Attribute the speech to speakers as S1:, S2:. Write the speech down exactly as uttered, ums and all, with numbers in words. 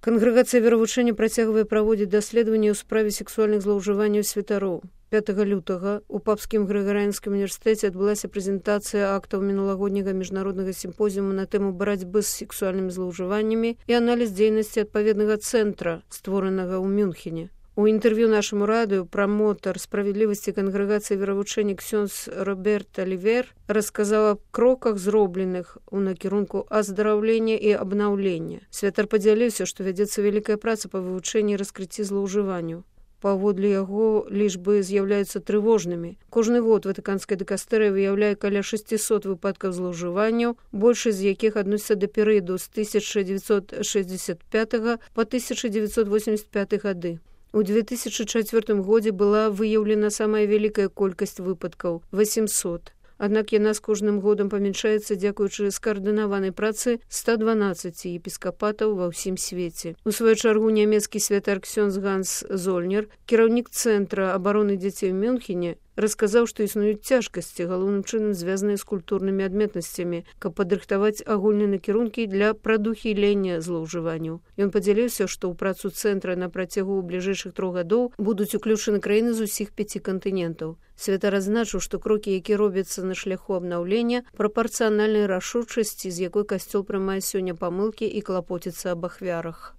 S1: Кангрэгацыя веравучэння працягвае праводзіць даследаванні ў справе сексуальных злоўжыванняў святароў. пятага лютага у папскім грыгарыянскім універсітэце адбылася прэзентацыя актаў мінулагодняга міжнароднага сімпозіуму на тэму барацьбы з сексуальнымі злоўжываннямі і аналіз дзейнасці адпаведнага цэнтра, створанага ў Мюнхене. У інтэрв'ю нашаму радыё прамотар справядлівасці кангрэгацыі веравучэння ксёндз Роберт Алівер расказаў аб кроках, зробленых у накірунку аздараўлення і абнаўлення. Святар падзяліўся, што вядзецца вялікая праца па вывучэнні і раскрыцці злоўжыванняў. Паводле яго лічбы з'яўляюцца трывожнымі. Кожны год ватыканская дыкастэрыя выяўляе каля шэсцісот выпадкаў злоўжыванняў, большасць з якіх адносіцца да перыяду з тысяча дзевяцьсот шэсцьдзесят пятага па тысяча дзевяцьсот восемьдесят пяты гады. У две тысячы чацвёртым годзе была выяўлена самая вялікая колькасць выпадкаў – восемьсот. Аднак яна з кожным годам памяншаецца дзякуючы скаардынаванай працы ста дванаццаці епіскапатаў ва ўсім свеце. У сваю чаргу нямецкі святар ксёндз Ганс Зольнер, кіраўнік цэнтра абароны дзяцей у Мюнхене, расказаў, што існуюць цяжкасці, галоўным чынам звязаныя з культурнымі адметнасцямі, каб падрыхтаваць агульныя накірункі для прадухілення злоўжыванняў. Ён падзяліўся, што ў працу цэнтра на працягу бліжэйшых трох гадоў будуць уключаны краіны з усіх пяці кантынентаў. Святар адзначыў, што крокі, якія робяцца на шляху абнаўлення, прапарцыянальнай рашучасці, з якой касцёл прымае сёння памылкі і клапоціцца аб ахвярах.